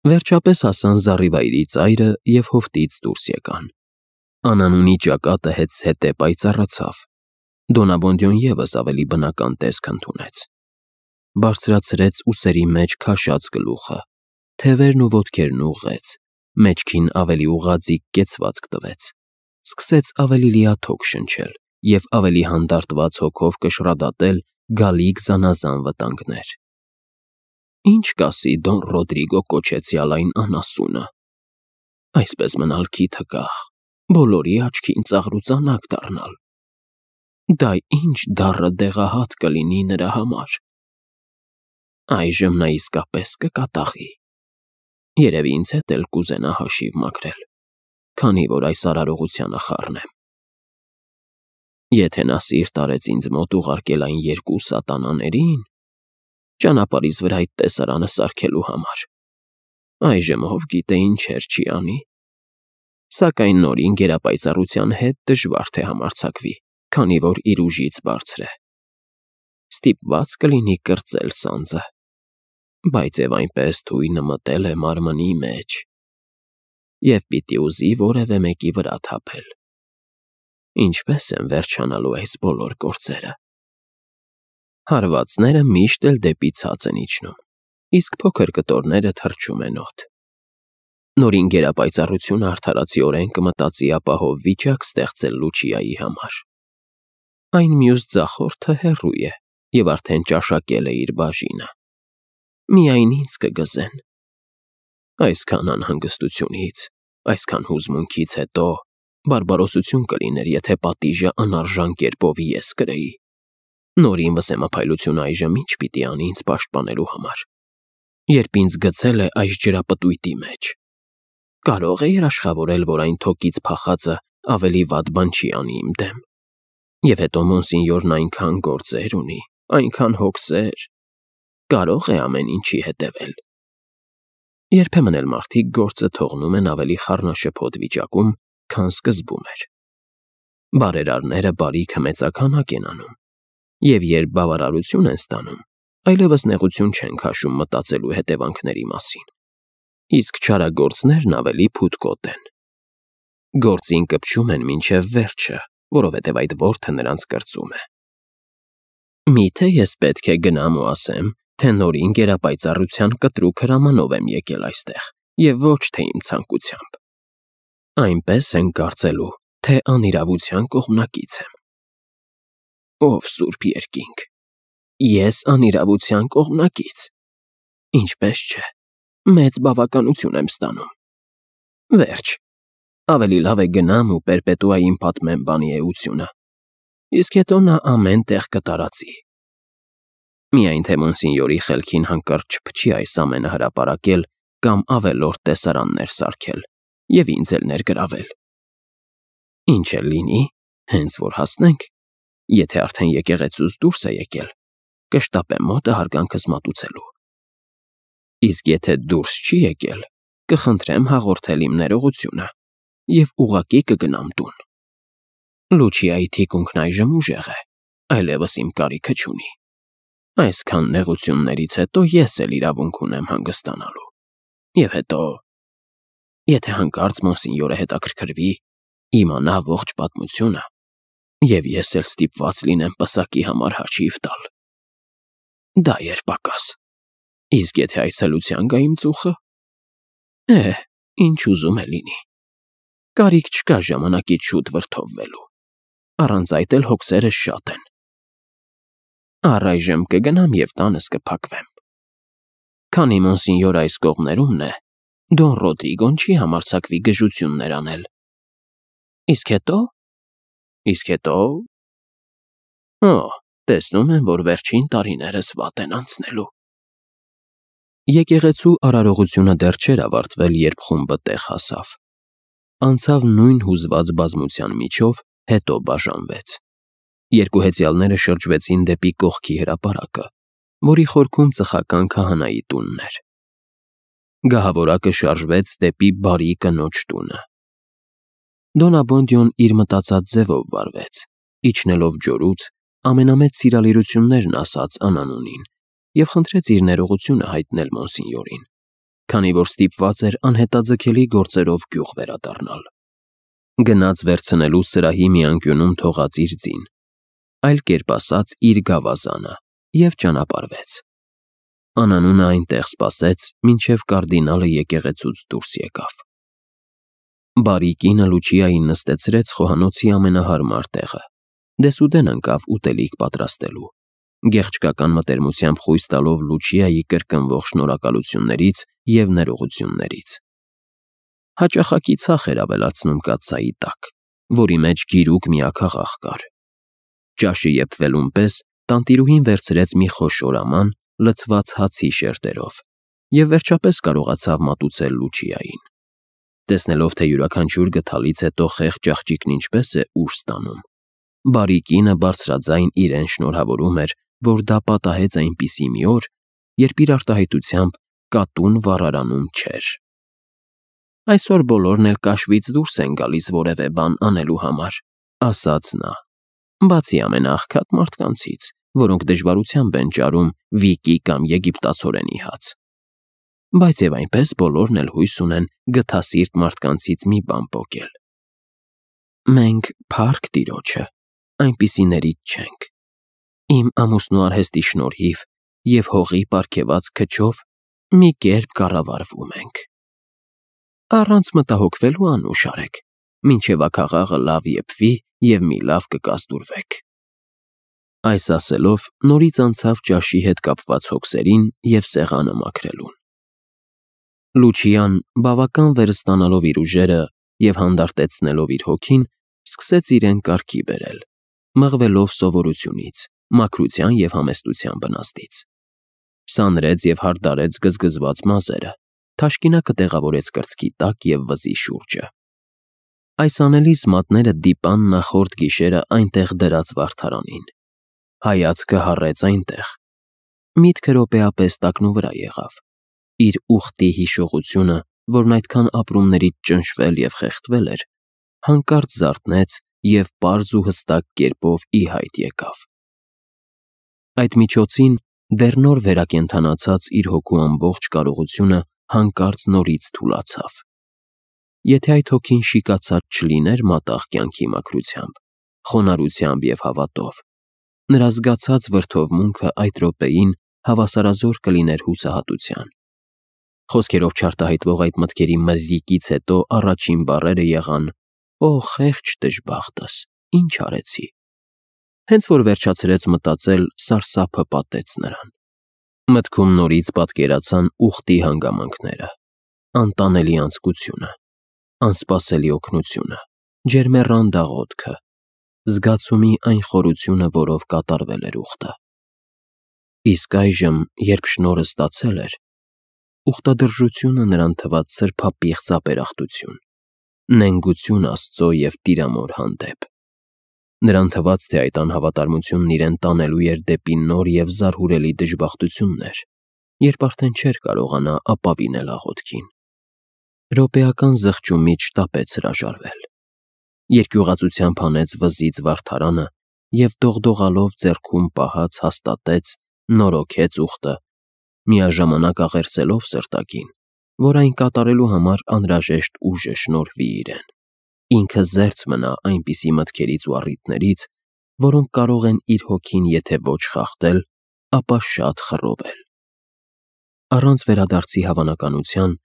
Վերջապես հասան զառիվայրի ծայրը և հովտից դուրս եկան։ Անանունի ճակատը հետզհետե պայծառացավ։ Դոնաբոնդյոն ևս ավելի բնական տեսք ընդունեց։ Բարձրացրեց ուսերի մեջ քաշած գլուխը, թևերն ու ոտքերն ուղղեց, մեջքին ավելի ուղղաձիգ կեցվածք տվեց, սկսեց ավելի լիաթոք շնչել և ավելի հանդարտված հոգով կշռադատել գալիք զանազան վտանգներ։ Ինչ կասի Դոն Ռոդրիգո կոչեցյալ այն անասունը։ Այսպես մնալ քիթը կախ, բոլորի աչքին ծաղրուծանակ դառնալ։ Դա ինչ դառը դեղահատ կլինի նրա համար։ Այժմ նա իսկապես կկատաղի։ Երևի ինձ հետ էլ կուզենա հաշիվ մաքրել, քանի որ այս արարողությանը խառնեմ։ Եթե նա սիրտ արեց ինձ մոտ ուղարկել այն երկու սատանաներին, ճանապարհիս վրա այդ տեսարանը սարքելու համար, այժմ ով գիտե ինչեր չի անի։ Սակայն նորին գերապայծառության հետ դժվար թե համարձակվի, քանի որ իր ուժից բարձր է։ Ստիպված կլինի կրծել սանձը, բայց և այնպես թույնը մտել է մարմնի մեջ և պիտի ուզի որևէ մեկի վրա թափել։ Ինչպե՞ս են վերջանալու այս բոլոր գործերը։ Հարվածները միշտ էլ դեպի ցած են իջնում, իսկ փոքր կտորները թռչում են օդ։ Նորին գերապայծառությունը արդարացիորեն կմտածի ապահով վիճակ ստեղծել Լուչիայի համար։ Այն մյուս ձախորդը հեռու է և արդեն ճաշակել է իր բաժինը։ Միայն ինձ կգզեն։ Այսքան անհանգստությունից, այսքան հուզմունքից հետո բարբարոսություն կլիներ, եթե պատիժը անարժան կերպով ես կրեի։ Նորին վսեմափայլությունը այժմ ինչ պիտի անի ինձ պաշտպանելու համար, երբ ինձ գցել է այս ջրապտույտի մեջ։ Կարո՞ղ է երաշխավորել, որ այն թոկից փախածը ավելի վատ բան չի անի իմ դեմ։ Եվ հետո Մոնսինյորն այնքան գործեր ունի, այնքան հոգսեր, կարող է ամեն ինչի հետևել։ Երբեմն էլ մարդիկ գործը թողնում են ավելի խառնաշփոթ վիճակում, քան սկզբում էր։ Բարերարները բարիքը մեծաքանակ են անում, և երբ բավարարություն են ստանում, այլևս նեղություն չեն քաշում մտածելու հետևանքների մասին, իսկ չարագործներն ավելի փութկոտ են։ Գործին կպչում են մինչև վերջը, որովհետև այդ որդը նրանց կրծում է։ Միթե ես պետք է գնամ ու ասեմ, թե նորին գերապայծառության կտրուկ հրամանով եմ եկել այստեղ, և ոչ թե իմ ցանկությամբ։ Այնպես են կարծելու, թե անիրավության կողմնակից եմ։ Ով սուրբ երկինք, ես անիրավության կողմնակից։ Ինչպես չէ, մեծ բավականություն եմ ստանում։ Վերջ, ավելի լավ է գնամ ու Պերպետուային պատմեմ բանի էությունը, իսկ հետո նա ամեն տեղ կտարածի։ Միայն թե Մոնսինյորի խելքին հանկարծ չփչի այս ամենը հրապարակել կամ ավելորդ տեսարաններ սարքել և ինձ էլ ներգրավել։ Ինչ էլ լինի, հենց որ հասնենք, եթե արդեն եկեղեցուց դուրս է եկել, կշտապեմ մոտը հարգանքս մատուցելու։ Իսկ եթե դուրս չի եկել, կխնդրեմ հաղորդել իմ ներողությունը և ուղղակի կգնամ տուն։ Լուչիայի թիկունքն այժմ ուժեղ է, այլևս իմ կարիքը չունի։ Այսքան նեղություններից հետո ես էլ իրավունք ունեմ հանգստանալու։ Եվ հետո, եթե հանկարծ Մոնսինյորը հետաքրքրվի, իմանա ողջ պատմությունը, և ես էլ ստիպված լինեմ պսակի համար հաշիվ տալ։ Դա երբակաս։ Իսկ եթե այցելության գա իմ ծուխը, ինչ ուզում է լինի։ Կարիք չկա ժամանակից շուտ վրդովվելու, առանց այդ էլ հոգսերս շատ են։ Առայժմ կգնամ և տանս կփակվեմ։ Քանի Մոնսինյորը այս կողմերումն է, Դոն Ռոդրիգոն չի համարձակվի գժություններ անել։ Իսկ հետո։ Տեսնում եմ, որ վերջին տարիներս վատ են անցնելու։ Եկեղեցու արարողությունը դեռ չէր ավարտվել, երբ խումբը տեղ հասավ։ Անցավ նույն հուզված բազմության միջով, հետո բաժանվեց։ Երկու հեծյալները շրջվեցին դեպի կողքի հրապարակը, որի խորքում ծխական քահանայի տունն էր։ Գահավորակը շարժվեց դեպի բարի կնոջ տունը։ Դոնաբոնդյոն իր մտածած ձևով վարվեց, իջնելով ջորուց, ամենամեծ սիրալիրություններն ասաց անանունին և խնդրեց իր ներողությունը հայտնել Մոնսինյորին, քանի որ ստիպված էր անհետաձգելի գործերով գյուղ վերադառնալ։ Գնաց վերցնելու սրահի մի անկյունում թողած իր ձին, այլ կերպ ասած իր գավազանը, և ճանապարհվեց։ Անանունը այնտեղ սպասեց, մինչև կարդինալը եկեղեցուց դուրս եկավ։ Բարի կինը Լուչիային նստեցրեց խոհանոցի ամենահարմար տեղը, դեսուդեն ընկավ ուտելիք պատրաստելու, գեղչկական մտերմությամբ խույս տալով Լուչիայի կրկնվող շնորհակալություններից և ներողություններից։ Հաճախակի ցախ էր ավելացնում կաթսայի տակ, որի մեջ գիրուկ միաքաղաք կար։ Ճաշը եփվելուն պես տանտիրուհին վերցրեց մի խոշոր աման, լցված հացի շերտերով, և վերջապես կարողացավ մատուցել Լուչիային։ Տեսնելով, թե յուրաքանչյուր գթալից հետո խեղճ աղջիկն ինչպես է ուժ ստանում, բարի կինը բարձրաձայն իրեն շնորհավորում էր, որ դա պատահեց այնպիսի մի օր, երբ իր արտահայտությամբ կատուն վառարանում չէր։ «Այսօր բոլորն էլ կաշվից դուրս են գալիս որևէ բան անելու համար», ասաց նա, «բացի ամենաաղքատ մարդկանցից, որոնք դժվարությամբ են ճարում Վիկի կամ եգիպտացորենի հաց։ Բայց և այնպես բոլորն էլ հույս ունեն գթասիրտ մարդկանցից մի բան պոկել։ Մենք փառք Տիրոջը, այնպիսիներից չենք։ Իմ ամուսնու արհեստի շնորհիվ և հողի պարգևած քչով մի կերպ կառավարվում ենք։ Առանց մտահոգվելու անուշ արեք, մինչև աքաղաղը լավ եփվի և մի լավ կկազդուրվեք»։ Այս ասելով նորից անցավ ճաշի հետ կապված հոգսերին և սեղանը մաքրելուն։ Լուչիան, բավական վերստանալով իր ուժերը և հանդարտեցնելով իր հոգին, սկսեց իրեն կարգի բերել, մղվելով սովորությունից, մաքրության և համեստության բնաստից։ Սանրեց և հարդարեց գզգզված մազերը, թաշկինակը տեղավորեց կրծքի տակ և վզի շուրջը։ Այս անելիս մատները դիպան նախորդ գիշերը այնտեղ դրած վարդարանին։ Հայացքը հառեց այնտեղ։ Միտքը րոպեապես տակնուվրա եղավ։ Իր ուխտի հիշողությունը, որն այդքան ապրումներից ճնշվել և խեղդվել էր, հանկարծ զարթնեց և պարզ ու հստակ կերպով ի հայտ եկավ։ Այդ միջոցին դեռ նոր վերակենդանացած իր հոգու ամբողջ կարողությունը հանկարծ նորից թուլացավ։ Եթե այդ հոգին շիկացած չլիներ մատաղ կյանքի մաքրությամբ, խոնարհությամբ և հավատով, նրա զգացած վրդովմունքը այդ րոպեին հավասարազոր կլիներ հուսահատության։ Խոսքերով չարտահայտվող այդ մտքերի մրրիկից հետո առաջին բառերը եղան. «Օ, խեղճ դժբախտս, ինչ արեցի»։ Հենց որ վերջացրեց մտածել, սարսափը պատեց նրան։ Մտքում նորից պատկերացան ուխտի հանգամանքները, անտանելի անձկությունը, անսպասելի օգնությունը, ջերմեռան դաղոդքը, զգացումի այն խորությունը, որով կատարվել էր ուխտը։ Իսկ այժմ, երբ շնորհը ստացել էր, ուխտադրժությունը նրան թվաց սրբապիղծ ապերախտություն, նենգություն Աստծո և Տիրամոր հանդեպ։ Նրան թվաց, թե այդ անհավատարմությունն իրեն տանելու էր դեպի նոր և զարհուրելի դժբախտություններ, երբ արդեն չէր կարողանա ապավինել աղոթքին։ Րոպեական զղջումից շտապեց հրաժարվել։ Երկյուղածությամբ հանեց վզից վարդարանը և դողդողալով ձեռքում պահած հաստատեց, նորոգեց ուխտը, միաժամանակ աղերսելով սրտակին, որ այն կատարելու համար անհրաժեշտ ուժը շնորհվի իրեն։ Ինքը զերծ մնա այնպիսի մտքերից ու առիթներից, որոնք կարող են իր հոգին եթե ոչ խախտել, ապա շատ խռովել։ Առանց վերադարձի հավանականության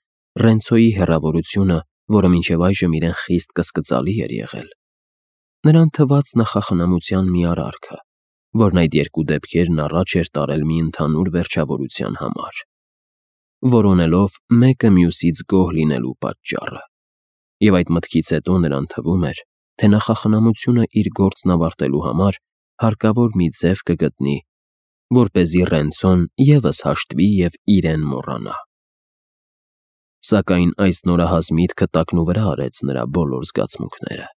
Ռենցոյի հեռավորությունը, որը մինչև այժմ իրեն խիստ կսկծալի էր եղել, նրան թվաց նախախնամության մի արարքը, որն այդ երկու դեպքերն առաջ էր տարել մի ընդհանուր վերջավորության համար, որոնելով մեկը մյուսից գոհ լինելու պատճառը։ Եվ այդ մտքից հետո նրան թվում էր, թե նախախնամությունը իր գործն ավարտելու համար հարկավոր մի ձև կգտնի, որպեսզի Ռենցոն ևս հաշտվի և իրեն մոռանա։ Սակայն այս նորահաս միտքը տակնուվրա արեց նրա բոլոր զգացմունքները։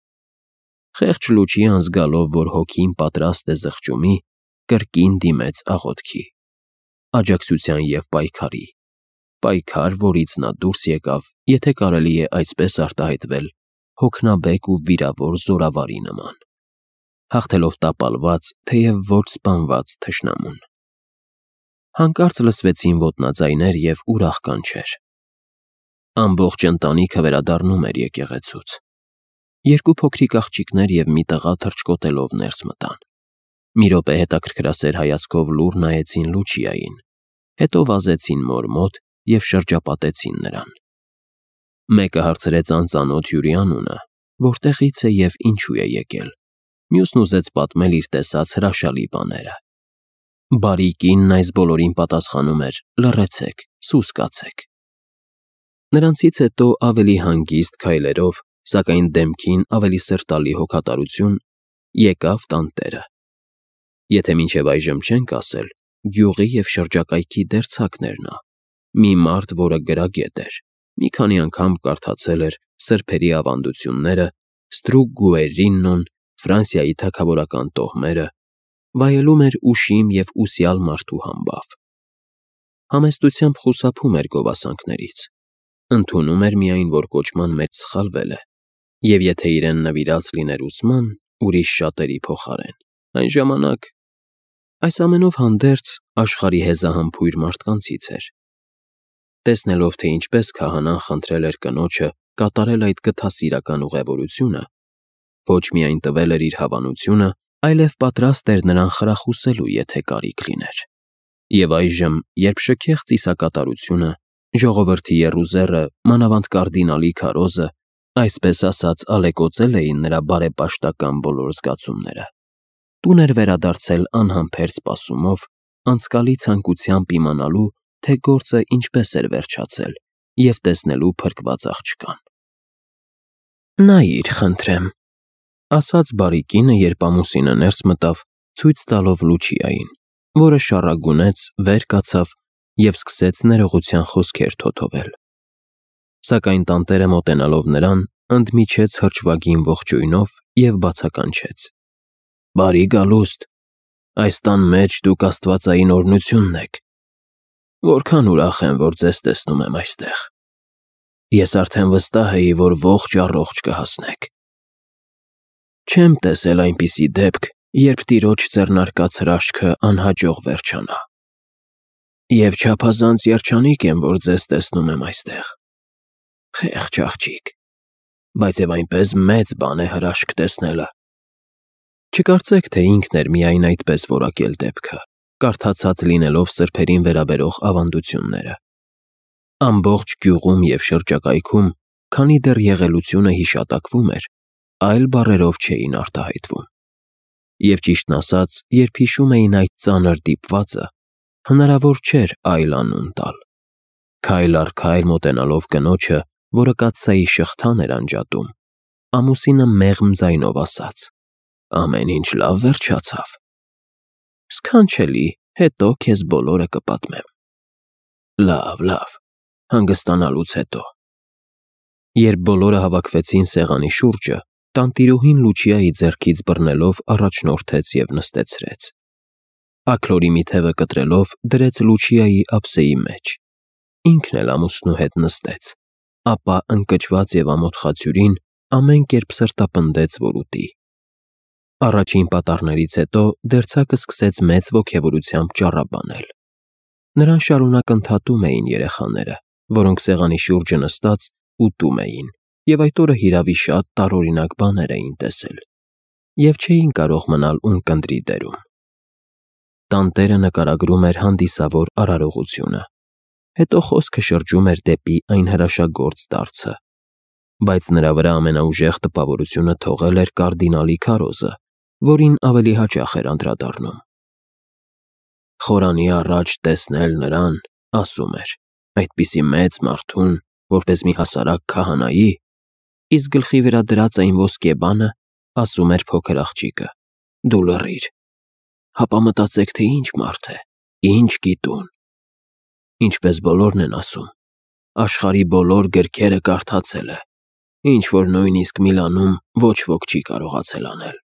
Խեղճ Լուչիան, զգալով, որ հոգին պատրաստ է զղջումի, կրկին դիմեց աղոթքի, աջակցության և պայքար, որից նա դուրս եկավ, եթե կարելի է այսպես արտահայտվել, հոգնաբեկ ու վիրավոր զորավարի նման, հաղթելով տապալված, թեև ոչ սպանված թշնամուն։ Հանկարծ լսվեցին ոտնաձայներ և ուրախ կանչեր։ Ամբողջ ընտանիքը վերադառնում էր եկեղեցուց։ Երկու փոքրիկ աղջիկներ և մի տղա թռչկոտելով ներս մտան։ Մի րոպե հետաքրքրասեր հայացքով լուռ նայեցին Լուչիային, հետո վազեցին մոր մոտ և շրջապատեցին նրան։ Մեկը հարցրեց անծանոթ հյուրի անունը, որտեղից է և ինչու է եկել, մյուսն ուզեց պատմել իր տեսած հրաշալի բաները։ Բարի կինն այս բոլորին պատասխանում էր. «Լռեցեք, սուս կացեք»։ Նրանցից հետո ավելի հանգիստ քայլերով, սակայն դեմքին ավելի սրտալի հոգատարություն, եկավ տանտերը։ Եթե մինչև այժմ չենք ասել, գյուղի և շրջակայքի դերձակն էր նա, մի մարդ, որը գրագետ էր, մի քանի անգամ կարդացել էր սրբերի ավանդությունները, Ստրուկ Գուերրինոն, Ֆրանսիայի թագավորական տոհմերը, վայելում էր ուշիմ և ուսյալ մարդու համբավ։ Համեստությամբ խուսափում էր գովասանքներից, ընդունում էր միայն, որ կոչման մեջ սխալվել է, և եթե իրեն նվիրած լիներ ուսման, ուրիշ շատերի փոխարեն, այն ժամանակ… Այս ամենով հանդերձ աշխարհի հեզահամբույր մարդկանցից էր։ Տեսնելով, թե ինչպես քահանան խնդրել էր կնոջը կատարել այդ գթասիրական ուղևորությունը, ոչ միայն տվել էր իր հավանությունը, այլև պատրաստ էր նրան խրախուսելու, եթե կարիք լիներ։ Եվ այժմ, երբ շքեղ ծիսակատարությունը, ժողովրդի եռուզեռը, մանավանդ կարդինալի քարոզը, այսպես ասած, ալեկոծել էին նրա բարեպաշտական բոլոր զգացումները, տուն էր վերադարձել անհամբեր սպասումով, անցկալի ցանկությամբ իմանալու, թե գործը ինչպես էր վերջացել, և տեսնելու փրկված աղջկան։ «Նայիր, խնդրեմ», ասաց բարի կինը, երբ ամուսինը ներս մտավ, ցույց տալով Լուչիային, որը շառագունեց, վեր կացավ և սկսեց ներողության խոսքեր թոթովել։ Սակայն տանտերը մոտենալով նրան, ընդմիջեց հրճվագին ողջույնով և բացականչեց. «Բարի գալուստ, այս տան մեջ դուք աստվածային օրհնությունն եք։ Որքան ուրախ եմ, որ ձեզ տեսնում եմ այստեղ։ Ես արդեն վստահ էի, որ ողջ առողջ կհասնեք։ Չեմ տեսել այնպիսի դեպք, երբ տիրոջ ձեռնարկած հրաշքը անհաջող վերջանա։ Եվ չափազանց երջանիկ եմ, որ ձեզ տեսնում եմ այստեղ։ Խեղճ աղջիկ, բայց և այնպես մեծ բան է հրաշք տեսնելը»։ Չկարծեք, թե ինքն էր միայն այդպես որակել դեպքը, կարդացած լինելով սրբերին վերաբերող ավանդությունները։ Ամբողջ գյուղում և շրջակայքում, քանի դեռ եղելությունը հիշատակվում էր, այլ բառերով չէին արտահայտվում։ Եվ ճիշտն ասած, երբ հիշում էին այդ ծանր դիպվածը, հնարավոր չէր այլ անուն տալ։ Քայլ առ քայլ մոտենալով կնոջը, որը կաթսայի շղթան էր անջատում, ամուսինը մեղմ ձայնով ասաց. «Ամեն ինչ լավ վերջացավ»։ «Սքանչելի, հետո քեզ բոլորը կպատմեմ»։ Լավ, հանգստանալուց հետո։ Երբ բոլորը հավաքվեցին սեղանի շուրջը, տանտիրուհին Լուչիայի ձեռքից բռնելով առաջնորդեց և նստեցրեց։ Աքլորի մի թևը կտրելով դրեց Լուչիայի ափսեի մեջ, ինքն էլ ամուսնու հետ նստեց, ապա ընկճված և ամոթ խացյուրին ամեն կերպ սրտապնդեց, որ ուտի։ Առաջին պատառներից հետո դերձակը սկսեց մեծ ոգևորությամբ ճառաբանել։ Նրան շարունակ ընդհատում էին երեխաները, որոնք սեղանի շուրջը նստած ուտում էին, և այդ օրը հիրավի շատ տարօրինակ բաներ էին տեսել, և չէին կարող մնալ ունկնդրի դերում։ Տանտերը նկարագրում էր հանդիսավոր արարողությունը, հետո խոսքը շրջում էր դեպի այն հրաշագործ դարձը, բայց նրա վրա ամենաուժեղ տպավորությունը թողել էր կարդինալի քարոզը, որին ավելի հաճախ էր անդրադառնում։ Խորանի առաջ տեսնել նրան, ասում էր, այդպիսի մեծ մարդուն, որպես մի հասարակ քահանայի, իսկ գլխի վրա դրած այն ոսկե բանը, ասում էր փոքր աղջիկը, դու լռիր, հապա մտածեք, թե ինչ մարդ է, ինչ գիտուն։ Ինչպես բոլորն են ասում, աշխարհի բոլոր գրքերը կարդացել է, ինչ որ նույնիսկ Միլանում ոչ ոք չի կարողացել անել։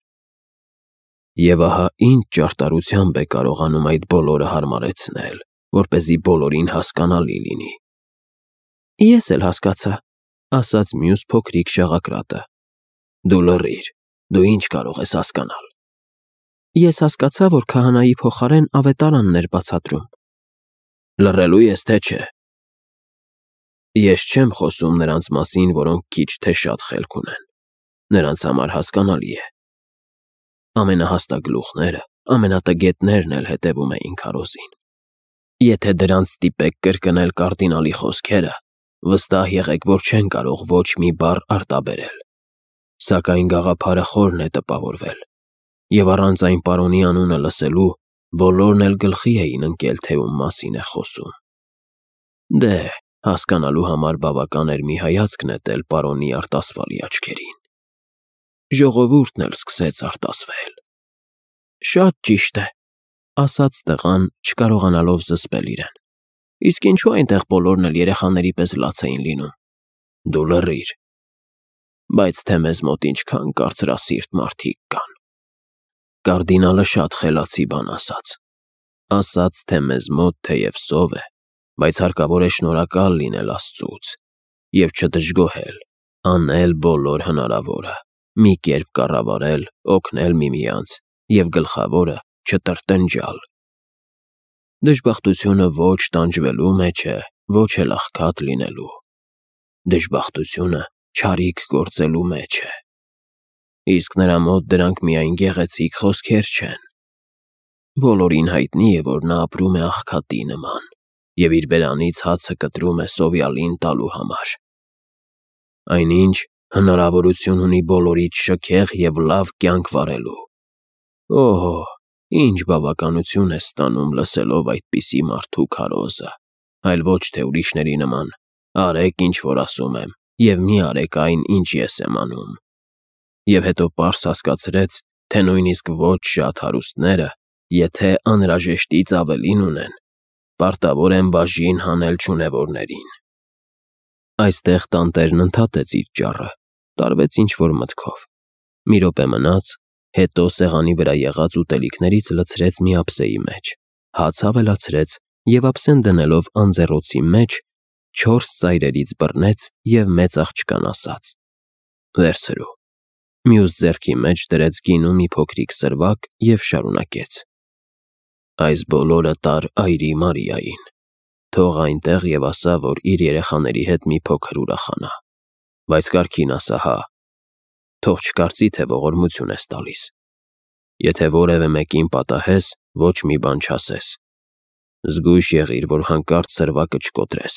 Եվ ահա ինչ ճարտարությամբ է կարողանում այդ բոլորը հարմարեցնել, որպեսզի բոլորին հասկանալի լինի։ Ես էլ հասկացա, ասաց մյուս փոքրիկ շաղակրատը։ Դու լռիր, դու ինչ կարող ես հասկանալ։ Ես հասկացա, որ քահանայի փոխարեն ավետարանն էր բացատրում։ Լռելու ես, թե չէ։ Ես չեմ խոսում նրանց մասին, որոնք քիչ թե շատ խելք ունեն։ Նրանց համար հասկանալի է։ Ամենահաստագլուխները, ամենատգետներն էլ հետևում էին քարոզին։ Եթե դրանց ստիպեք կրկնել կարդինալի խոսքերը, վստահ եղեք, որ չեն կարող ոչ մի բառ արտաբերել։ Սակայն գաղափարը խորն է տպավորվել, եւ առանց այն պարոնի անունը լսելու բոլորն էլ գլխի էին ընկել, թե ում մասին է խոսում։ Դե, հասկանալու համար բավական էր մի հայացք նետել պարոնի արտասվալի աչքերին։ Ժողովուրդն էլ սկսեց արտասվել։ Շատ ճիշտ է, ասաց տղան, չկարողանալով զսպել իրեն։ Իսկ ինչու այնտեղ բոլորն էլ երեխաների պես լաց էին լինում։ Դու լռիր։ Բայց թե մեզ մոտ ինչքան կարծրասիրտ մարդիկ կան։ Կարդինալը շատ խելացի բան ասաց, թե մեզ մոտ թեև սով է, բայց հարկավոր է շնորհակալ լինել Աստծուց և չդժգոհել, անել բոլոր հնարավորը, մի կերպ կառավարել, օգնել միմյանց և գլխավորը չտրտնջալ։ Դժբախտությունը ոչ տանջվելու մեջ է, ոչ էլ աղքատ լինելու։ Դժբախտությունը չարիք գործելու մեջ է։ Իսկ նրա մոտ դրանք միայն գեղեցիկ խոսքեր չեն։ Բոլորին հայտնի է, որ նա ապրում է աղքատի նման և իր բերանից հացը կտրում է սովյալին տալու համար։ Այնինչ հնարավորություն ունի բոլորից շքեղ և լավ կյանք վարելու։ Օհո, ինչ բավականություն է ստանում լսելով այդպիսի մարդու քարոզը, այլ ոչ թե ուրիշների նման «Արեք, ինչ որ ասում եմ, և մի արեք այն, ինչ ես եմ անում»։ Եվ հետո պարզ հասկացրեց, թե նույնիսկ ոչ շատ հարուստները, եթե անհրաժեշտից ավելին ունեն, պարտավոր են բաժին հանել չունևորներին։ Այստեղ տանտերն ընդհատեց իր ճառը, տարվեց ինչ-որ մտքով։ Մի րոպե մնաց, հետո սեղանի վրա եղած ուտելիքներից լցրեց մի ափսեի մեջ, հաց ավելացրեց և ափսեն դնելով անձեռոցի մեջ 4 ծայրերից բռնեց և մեծ աղջկան ասաց. «Վերցրու»։ Մյուս ձեռքի մեջ դրեց գինու մի փոքրիկ սրվակ և շարունակեց. «Այս բոլորը տար այրի Մարիային, թող այնտեղ և ասա, որ իր երեխաների հետ մի փոքր ուրախանա, բայց կարգին ասա, հա, թող չկարծի, թե ողորմություն ես տալիս։ Եթե որևէ մեկին պատահես, ոչ մի բան չասես։ Զգույշ եղիր, որ հանկարծ սրվակը չկոտրես»։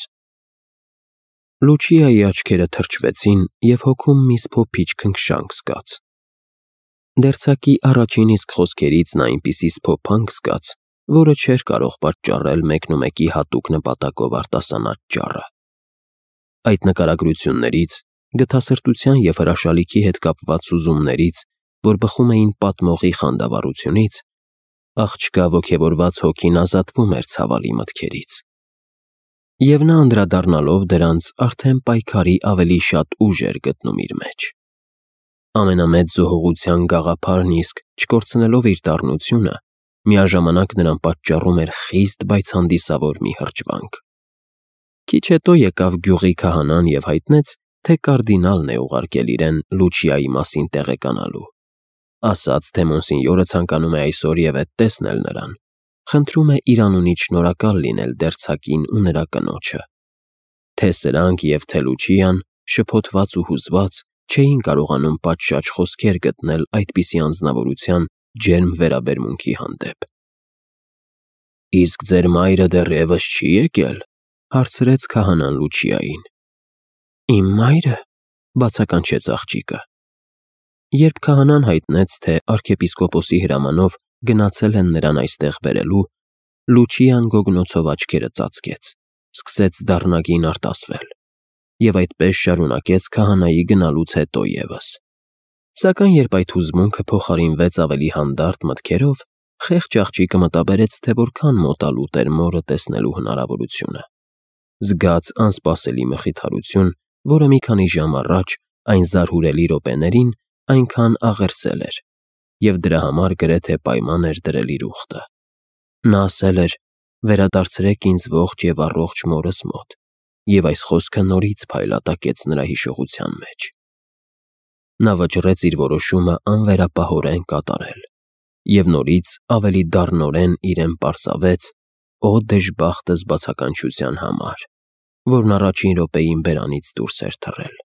Լուչիայի աչքերը թրջվեցին և հոգում մի սփոփիչ քնքշանք զգաց։ Դերձակի առաջին իսկ խոսքերից նա այնպիսի սփոփանք զգաց, որը չէր կարող պատճառել մեկնումեկի հատուկ նպատակով արտասանած ճառը։ Այդ նկարագրություններից, գթասրտության և հրաշալիքի հետ կապված սուզումներից, որ բխում էին պատմողի խանդավառությունից, աղջկա ոգևորված հոգին ազատվում էր ցավալի մտքերից։ Եվ նա անդրադառնալով դրանց արդեն պայքարի ավելի շատ ուժ էր գտնում իր մեջ։ Ամենամեծ զոհողության գաղափարն իսկ, չկորցնելով իր դառնությունը, միաժամանակ նրան պատճառում էր խիստ, բայց հանդիսավոր մի հրճվանք։ Քիչ հետո եկավ գյուղի քահանան և հայտնեց, թե կարդինալն է ուղարկել իրեն Լուչիայի մասին տեղեկանալու։ Ասաց, թե մոնսինյորը ցանկանում է այսօրևեթ տեսնել նրան, խնդրում է իր անունից շնորհակալ լինել դերձակին ու նրա կնոջը։ Թե սրանք և թե Լուչիան, շփոթված ու հուզված, չէին կարողանում պատշաճ խոսքեր գտնել այդպիսի անձնավորության ջերմ վերաբերմունքի հանդեպ։ «Իսկ ձեր մայրը դեռևս չի եկել», հարցրեց քահանան Լուչիային։ «Իմ մայրը», բացականչեց աղջիկը։ Երբ քահանան հայտնեց, թե arczepiskopos-ի հրամանով գնացել են նրան այստեղ բերելու, Լուչիան գոգնոցով աչքերը ծածկեց, սկսեց դառնագին արտասվել և այդպես շարունակեց քահանայի գնալուց հետո ևս։ Սակայն երբ այդ հուզմունքը փոխարինվեց ավելի հանդարտ մտքերով, խեղճ աղջիկը մտաբերեց, թե որքան մոտալուտ էր մորը տեսնելու հնարավորությունը։ Զգաց անսպասելի մխիթարություն, որը մի քանի ժամ առաջ այն զարհուրելի րոպեներին այնքան աղերսել էր, և դրա համար գրեթե պայման էր դրել իր ուխտը։ Նա ասել էր. «Վերադարձրեք ինձ ողջ և առողջ մորս մոտ», և այս խոսքը նորից փայլատակեց նրա հիշողության մեջ։ Նա վճռեց իր որոշումը անվերապահորեն կատարել և նորից ավելի դառնորեն իրեն պարզավեց «Օ դժբախտս» բացականչության համար։ որն առաջին րոպեին բերանից դուրս էր թռել։